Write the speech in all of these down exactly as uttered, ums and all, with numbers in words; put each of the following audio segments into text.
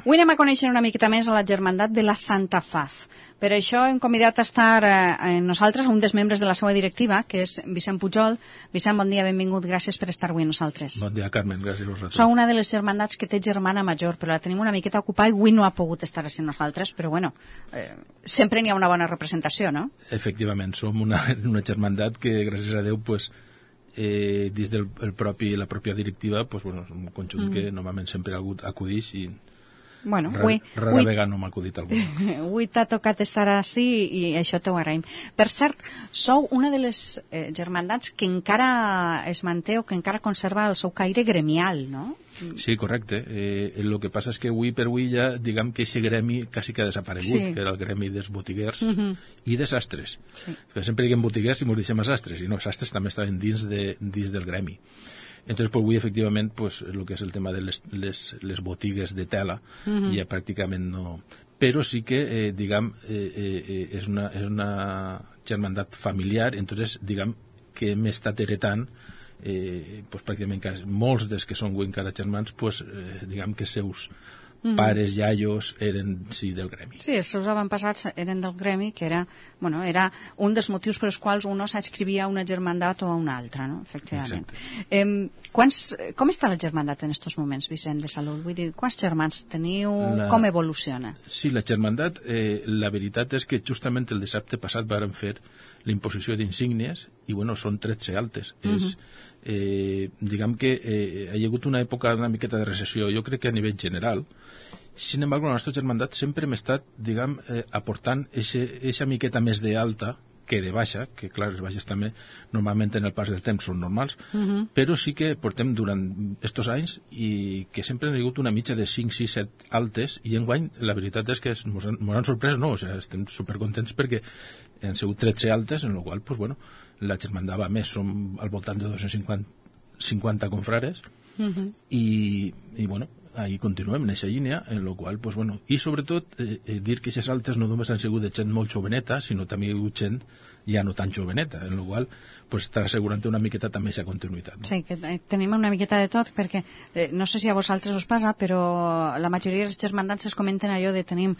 Avui anem a conèixer una miqueta més a la Germandat de la Santa Faz. Per això hem convidat a estar eh, nosaltres, un dels membres de la seva directiva, que és Vicent Pujol. Vicent, bon dia, benvingut, gràcies per estar avui amb nosaltres. Bon dia, Carmen, gràcies a vosaltres. Sou una de les germandats que té germana major, però la tenim una miqueta ocupada i avui no ha pogut estar amb nosaltres, però bueno, eh, sempre n'hi ha una bona representació, no? Efectivament, som una, una germandat que, gràcies a Déu, pues, eh, dins del el propi, la pròpia directiva, pues, bueno, és un conjunt mm. que normalment sempre acudix i bueno, rara, avui, rara avui, vegada no m'ha acudit algú. Avui t'ha tocat estar així i això t'ho agraïm. Per cert, sou una de les eh, germandats que encara es manté o que encara conserva el seu caire gremial, no? Sí, correcte. Eh, el que passa és que avui per avui ja, diguem que aquest gremi quasi que ha desaparegut, sí. que era el gremi dels botiguers uh-huh. i de sastres. Sí. Sempre diguem botiguers i ens deixem a sastres, i no, sastres també estaven dins, de, dins del gremi. Entonces, pues, avui, efectivament, pues, el que és el tema de les, les, les botigues de tela uh-huh. ja pràcticament no... Però sí que, eh, diguem, eh, eh, és, una, és una germandat familiar, entonces, diguem, que hem estat heretant Eh, pues, pràcticament que molts dels que són avui encara germans pues, eh, diguem que seus mm. pares, iaios eren sí, del gremi. Sí, els seus avantpassats eren del gremi, que era, bueno, era un dels motius pels quals uno s'adscrivia a una germandat o a una altra, no? Efectivament. Eh, quants, com està la germandat en aquests moments, Vicent, de Salut? Vull dir, quants germans teniu? La... Com evoluciona? Sí, la germandat, eh, la veritat és que justament el dissabte passat vàrem fer l'imposició d'insígnies i, bueno, són tretze altes. Uh-huh. És, eh, diguem que eh, hi ha hagut una època una miqueta de recessió, jo crec que a nivell general. Sin embargo, la nostra germandat sempre hem estat, diguem, eh, aportant eixa miqueta més d'alta que de baixa, que clar, les baixes també normalment en el pas del temps són normals, uh-huh. però sí que portem durant estos anys i que sempre han hagut una mitja de cinc, sis, set altes i enguany la veritat és que ens han, han sorprès, no, o sigui, estem supercontents perquè han sigut tretze altes, en la qual pues, bueno, la germandat va més, som al voltant de dos-cents cinquanta confrares uh-huh. i, i bueno, ahí continuem en aquesta línia, en la qual, pues, bueno, i sobretot eh, eh, dir que aquestes altes no només han sigut de gent molt joveneta, sinó també hi ha hagut gent ja no tan joveneta, en la qual pues, està assegurant una miqueta també aquesta continuïtat. No? Sí, que tenim una miqueta de tot, perquè eh, no sé si a vosaltres us passa, però la majoria dels germandats es comenten allò de tenim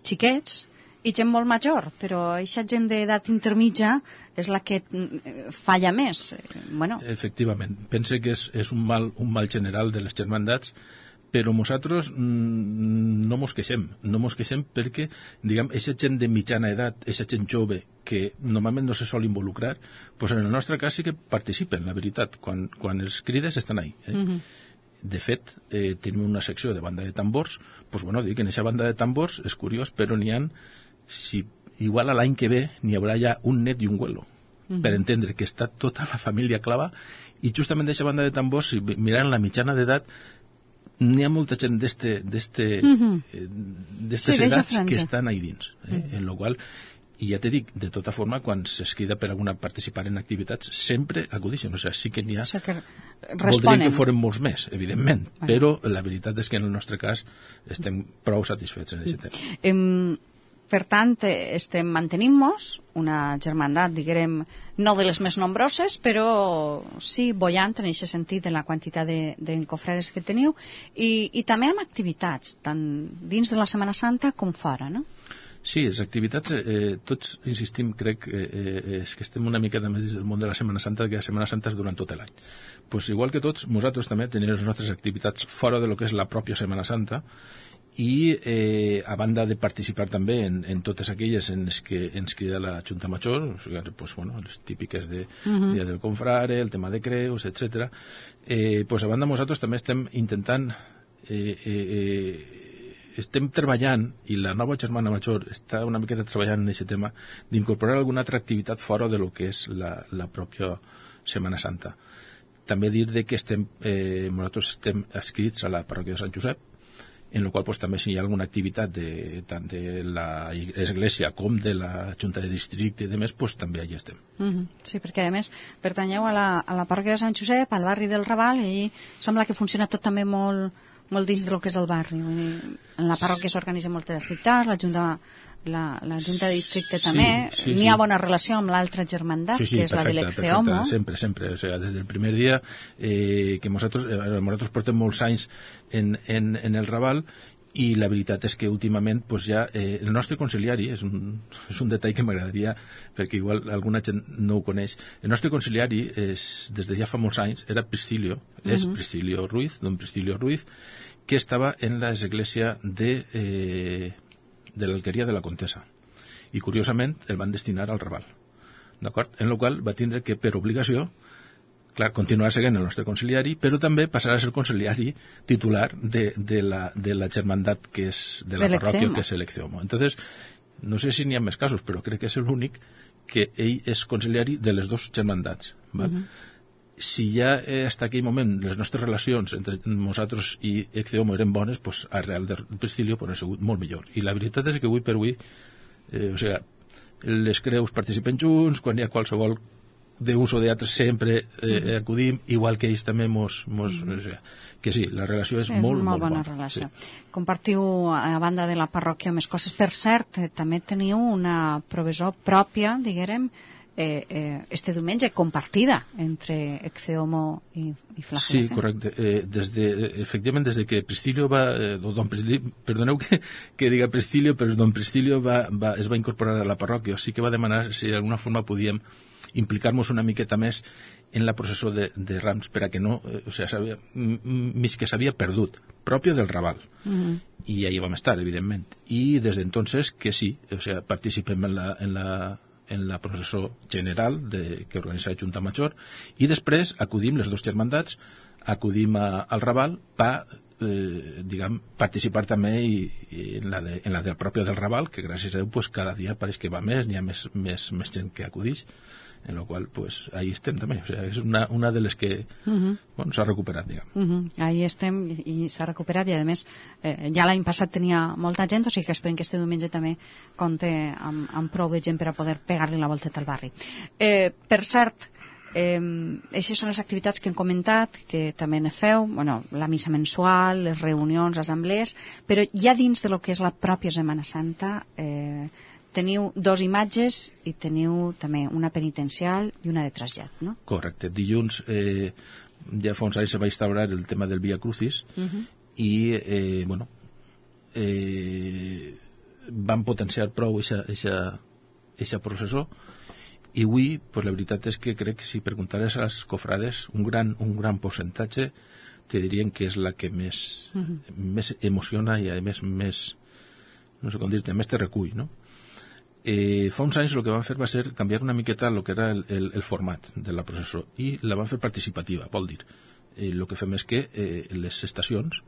xiquets i gent molt major, però aquesta gent d'edat intermitja és la que falla més. Bueno. Efectivament, pense que és, és un, mal, un mal general de les germandats, però nosaltres mmm, no mos queixem, no mos queixem perquè, diguem, aquesta gent de mitjana edat, aquesta gent jove que normalment no se sol involucrar, pues en el nostre cas sí que participen, la veritat, quan, quan els crides estan ahí. Eh? Uh-huh. De fet, eh, tenim una secció de banda de tambors, pues bueno, dic, en aquesta banda de tambors és curiós, però n'hi ha, si igual a l'any que ve n'hi haurà ja un net i un huelo, uh-huh. per entendre que està tota la família clava, i justament d'aquesta banda de tambors, si mirant la mitjana d'edat, n'hi ha molta gent d'estes uh-huh. eh, sí, edats que estan ahí dins, eh? uh-huh. en la qual, i ja te dic, de tota forma, quan es crida per alguna participar en activitats, sempre acudixen, o sigui, sí que n'hi ha, o sigui, que voldríem que foren molts més, evidentment, bueno. però la veritat és que en el nostre cas estem prou satisfets en aquest tema. Um, per tant, estem mantenint-nos una germandat, diguem, no de les més nombroses, però sí bollant en aquest sentit de la quantitat d'encofrares que teniu, i, i també amb activitats, tant dins de la Setmana Santa com fora, no? Sí, les activitats, eh, tots insistim, crec, eh, és que estem una mica més dins del món de la Setmana Santa, que la Setmana Santa és durant tot l'any. Pues igual que tots, nosaltres també tenim les nostres activitats fora de lo que és la pròpia Setmana Santa, i eh, a banda de participar també en, en totes aquelles en les que ens crida la Junta Major, o sigui, pues, bueno, les típiques de uh-huh. Dia del Confrare, el tema de creus, etcètera. Eh, pues, a banda nosaltres també estem intentant eh, eh, eh, estem treballant, i la nova germana major està una miqueta treballant en aquest tema, d'incorporar alguna altra activitat fora de lo que és la, la pròpia Setmana Santa. També dir de que estem, eh, nosaltres estem adscrits a la parròquia de Sant Josep, en el qual pues, també si hi ha alguna activitat de, tant de l'Església com de la Junta de Districte i demés, pues, també allà estem. Mm-hmm. Sí, perquè a més pertanyeu a la, a la parròquia de Sant Josep, al barri del Raval, i sembla que funciona tot també molt, molt dins del que és el barri. Vull dir, en la parròquia s'organitzen moltes activitats, la Junta la, la Junta de Districte també, sí, sí, n'hi ha sí. bona relació amb l'altra germandat, sí, sí, que és perfecte, la de l'Exeomo. Sempre, sempre, o sigui, des del primer dia eh, que nosaltres, eh, nosaltres portem molts anys en, en, en el Raval, i la veritat és que últimament pues ja, eh, el nostre conciliari és un, és un detall que m'agradaria perquè igual alguna gent no ho coneix. El nostre conciliari és, des de ja fa molts anys era Priscilio, uh-huh. és Priscilio Ruiz, don Priscilio Ruiz, que estava en l'església de, eh, de l'Alqueria de la Contesa i curiosament el van destinar al Raval, d'acord? En el qual va tindre que per obligació clar, continuar seguint el nostre conciliari, però també passarà a ser conciliari titular de, de, la, de la germandat que és de la parròquia, que és el Ecceomo. Entonces, no sé si n'hi ha més casos, però crec que és l'únic que ell és conciliari de les dues germandats. Val? Uh-huh. Si ja fins aquell moment les nostres relacions entre nosaltres i Ecceomo eren bones, pues, a Real de Priscilio pues, ha sigut molt millor. I la veritat és que avui per avui, eh, o sigui, les creus participen junts, quan hi ha qualsevol d'ús o d'altres sempre eh, acudim, igual que ells també mos, mos, mm. o sigui, que sí, la relació és sí, molt, és molt bona. bona. Relació. Sí. Compartiu, a banda de la parròquia, més coses. Per cert, eh, també teniu una provisió pròpia, diguem, eh, eh, este diumenge, compartida entre Ecceomo i, i Flagelación. Sí, correcte. Eh, des de, efectivament, des de que Priscilio va... Eh, don Priscilio, perdoneu que, que diga Priscilio, però don Priscilio va, va, es va incorporar a la parròquia, o sí que va demanar si d'alguna forma podíem implicar-nos una miqueta més en la processó de, de Rams per a que no, eh, o sigui, s'havia, mig que s'havia perdut, pròpio del Raval. Uh-huh. I ahí vam estar, evidentment. I des d'entonces que sí, o sigui, participem en la, en la, en la processó general de, que organitza la Junta Major i després acudim, les dues germandats, acudim a, al Raval per eh, diguem, participar també i, i en, la de, en la del propi del Raval, que gràcies a Déu pues, cada dia pareix que va més, n'hi ha més, més, més gent que acudix, en la qual pues ahí estem també, o sea, és una, una de les que uh-huh. bueno, s'ha recuperat, diguem. Uh-huh. Ahí estem i, i s'ha recuperat i a més eh, ja l'any passat tenia molta gent, o sigui que esperem que este diumenge també compte amb, amb prou de gent per a poder pegar-li la volteta al barri. Eh, per cert, eh, aquestes són les activitats que hem comentat, que també ne feu, bueno, la missa mensual, les reunions, assemblees, però ja dins de lo que és la pròpia Setmana Santa eh, teniu dos imatges i teniu també una penitencial i una de trasllat, no? Correcte. Dilluns eh, ja fa uns anys se va instaurar el tema del Via Crucis uh-huh. i eh, bueno eh, van potenciar prou eixa processó i avui, pues, la veritat és que crec que si preguntares a les cofrades un gran, un gran percentatge te dirien que és la que més, uh-huh. més emociona i a més, més no sé com dir-te, més te recull, no? Eh, fa uns anys el que van fer va ser canviar una miqueta el que era el, el, el format de la processó i la van fer participativa, vol dir eh, el que fem és que eh, les estacions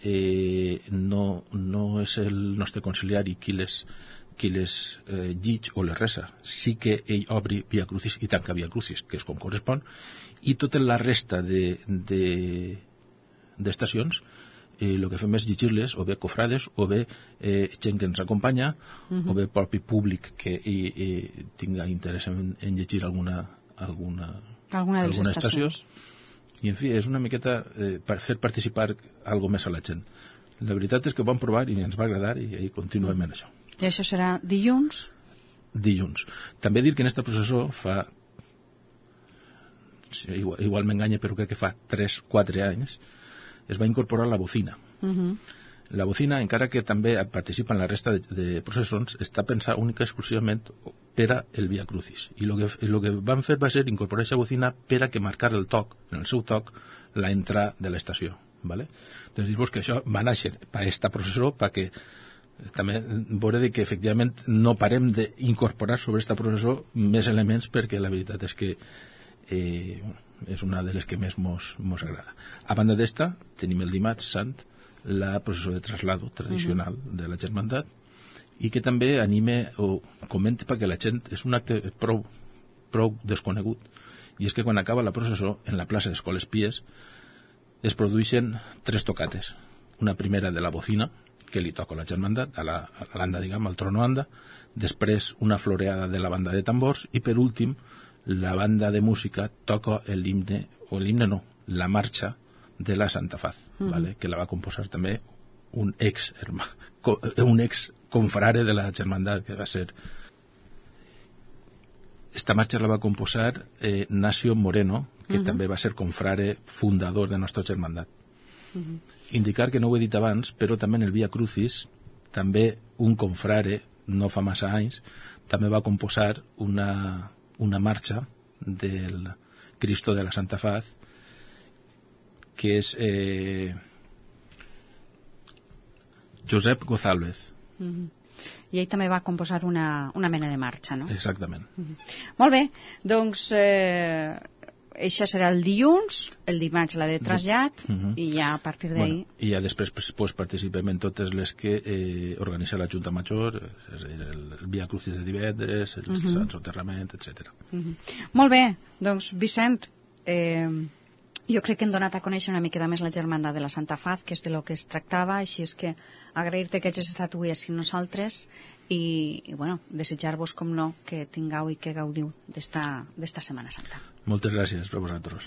eh, no, no és el nostre conciliari qui les, qui les eh, llig o les resa, sí que ell obri Via Crucis i tanca Via Crucis, que és com correspon, i tota la resta de, de, d'estacions el eh, que fem és llegir-les, o bé cofrades, o bé eh, gent que ens acompanya, uh-huh. o bé propi públic que i, i tinga interès en, en llegir alguna, alguna, alguna, alguna estació. I, en fi, és una miqueta eh, per fer participar algo més a la gent. La veritat és que ho vam provar i ens va agradar i, i continuem uh-huh. en això. I això serà dilluns? Dilluns. També dir que en esta processó fa... Igual, igual m'enganya, però crec que fa tres quatre anys es va incorporar la bocina. Uh-huh. La bocina, encara que també participa en la resta de, de processons, està pensada única i exclusivament per a el Via Crucis. I el que, lo que van fer va ser incorporar aquesta bocina per a que marcar el toc, en el seu toc, la entrada de l'estació. ¿Vale? Doncs dir-vos que això va néixer per a aquesta processó, perquè també veure que efectivament no parem d'incorporar sobre aquesta processó més elements, perquè la veritat és que eh, bueno, és una de les que més mos, mos agrada. A banda d'esta, tenim el dimarts sant la processó de traslado tradicional uh-huh. de la germandat i que també anime o comenta perquè la gent és un acte prou, prou desconegut, i és que quan acaba la processó en la plaça d'Escoles Pies es produeixen tres tocates. Una primera de la bocina, que li toca la germandat, a la, a l'anda, diguem, al tronoanda, després una floreada de la banda de tambors i per últim la banda de música toca l'himne, o l'himne no, la marxa de la Santa Faz, uh-huh. ¿vale? Que la va composar també un ex hermà, un ex confrare de la germandat, que va ser... Esta marxa la va composar eh, Nacio Moreno, que uh-huh. també va ser confrare fundador de nostra germandat. Uh-huh. Indicar que no ho he dit abans, però també en el Via Crucis, també un confrare, no fa massa anys, també va composar una, una marxa del Cristo de la Santa Faz, que és eh, Josep González. Uh-huh. I ell també va composar una, una mena de marxa, no? Exactament. Uh-huh. Molt bé, doncs eh, això serà el dilluns, el dimarts la de trasllat, uh-huh. i ja a partir d'ahir... Bueno, i ja després pues, pues, participem en totes les que eh, organitza la Junta Major, és a dir, el, el Via Crucis de divendres, el uh-huh. Sant Soterrament, etcètera. Uh-huh. Molt bé, doncs Vicent, eh, jo crec que hem donat a conèixer una miqueta més la germandad de la Santa Faz, que és de lo que es tractava, així és que agrair-te que hagis estat avui així amb nosaltres i, i bueno, desitjar-vos, com no, que tingueu i que gaudiu d'esta Setmana Santa. Moltes gràcies per vosaltres.